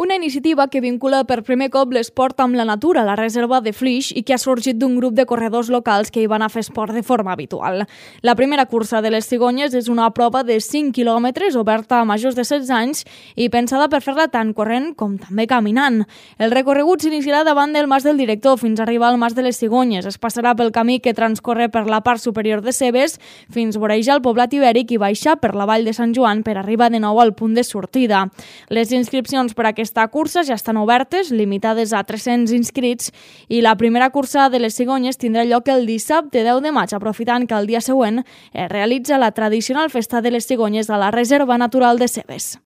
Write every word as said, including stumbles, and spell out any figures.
Una iniciativa que vincula per primer cop l'esport amb la natura a la reserva de Flix i que ha sorgit d'un grup de corredors locals que hi van a fer esport de forma habitual. La primera cursa de les cigonyes és una prova de cinc quilòmetres oberta a majors de setze anys i pensada per fer-la tant corrent com també caminant. El recorregut s'iniciarà davant del Mas del Director fins a arribar al Mas de les Cigonyes. Es passarà pel camí que transcorre per la part superior de Cebes fins vorejar el poblat ibèric i baixar per la vall de Sant Joan per arribar de nou al punt de sortida. Les inscripcions per a aquesta cursa ja estan obertes, limitades a tres-cents inscrits, i la primera cursa de les cigonyes tindrà lloc el dissabte deu de maig, aprofitant que el dia següent es realitza la tradicional festa de les cigonyes a la Reserva Natural de Cebes.